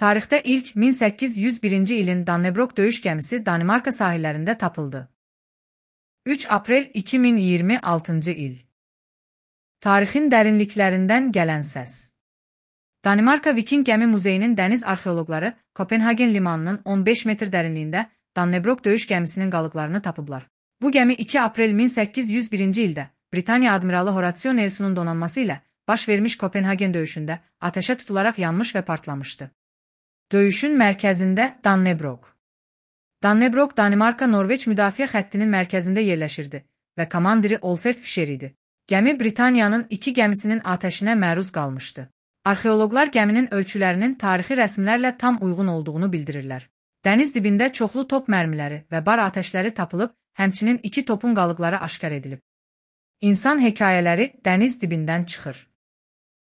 Tarixdə ilk 1801-ci ilin Dannebrog döyüş gəmisi Danimarka sahillərində tapıldı. 3 aprel 2026-cı il. Tarixin dərinliklərindən gələn səs. Danimarka Viking Gəmi Muzeyinin dəniz arxeoloqları Kopenhagen limanının 15 metr dərinliyində Dannebrog döyüş gəmisinin qalıqlarını tapıblar. Bu gəmi 2 aprel 1801-ci ildə Britaniya admiralı Horatio Nelsonun donanması ilə baş vermiş Kopenhagen döyüşündə ateşə tutularaq yanmış və partlamışdı. Döyüşün mərkəzində Dannebrog. Dannebrog, Danimarka-Norveç müdafiə xəttinin mərkəzində yerləşirdi və komandiri Olfert Fischer idi. Gəmi Britaniyanın 2 gəmisinin atəşinə məruz qalmışdı. Arxeoloqlar gəminin ölçülərinin tarixi rəsmlərlə tam uyğun olduğunu bildirirlər. Dəniz dibində çoxlu top mərmiləri və bar atəşləri tapılıb, həmçinin 2 topun qalıqları aşkar edilib. İnsan hekayələri dəniz dibindən çıxır.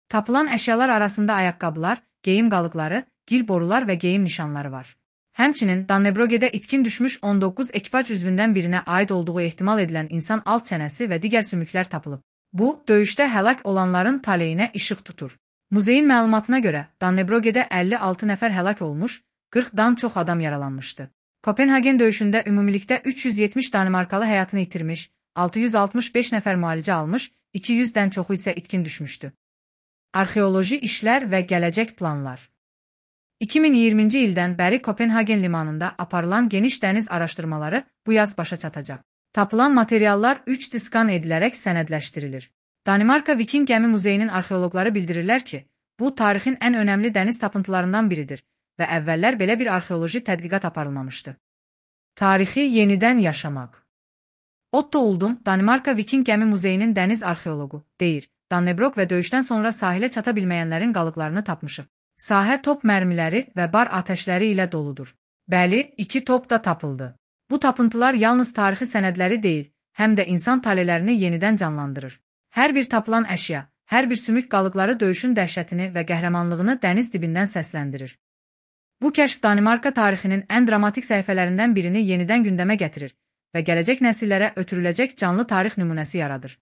Tapılan əşyalar arasında ayaqqabılar, geyim qalıqları, gil borular və geyim nişanları var. Həmçinin Dannebrogədə itkin düşmüş 19 ekipaj üzvündən birinə aid olduğu ehtimal edilən insan alt çənəsi və digər sümüklər tapılıb. Bu, döyüşdə həlak olanların taleyinə işıq tutur. Muzeyin məlumatına görə, Dannebrogədə 56 nəfər həlak olmuş, 40-dan çox adam yaralanmışdı. Kopenhagen döyüşündə ümumilikdə 370 Danimarkalı həyatını itirmiş, 665 nəfər müalicə almış, 200-dən çoxu isə itkin düşmüşdü. Arxeoloji işlər və gələcək planlar. 2020-ci ildən bəri Kopenhagen limanında aparılan geniş dəniz araşdırmaları bu yaz başa çatacaq. Tapılan materiallar 3D skan edilərək sənədləşdirilir. Danimarka Viking Gəmi Muzeyinin arxeoloqları bildirirlər ki, bu tarixin ən önəmli dəniz tapıntılarından biridir və əvvəllər belə bir arxeoloji tədqiqat aparılmamışdı. Tarixi yenidən yaşamaq. Otto Uldum, Danimarka Viking Gəmi Muzeyinin dəniz arxeoloqu, deyir, Dannebrog və döyüşdən sonra sahilə çata bilməyənlərin qalıqlarını tapmışıq. Sahə top mərmiləri və bar atəşləri ilə doludur. Bəli, 2 top da tapıldı. Bu tapıntılar yalnız tarixi sənədləri deyil, həm də insan taleylərini yenidən canlandırır. Hər bir tapılan əşya, hər bir sümük qalıqları döyüşün dəhşətini və qəhrəmanlığını dəniz dibindən səsləndirir. Bu kəşf Danimarka tarixinin ən dramatik səhifələrindən birini yenidən gündəmə gətirir və gələcək nəsillərə ötürüləcək canlı tarix nümunəsi yaradır.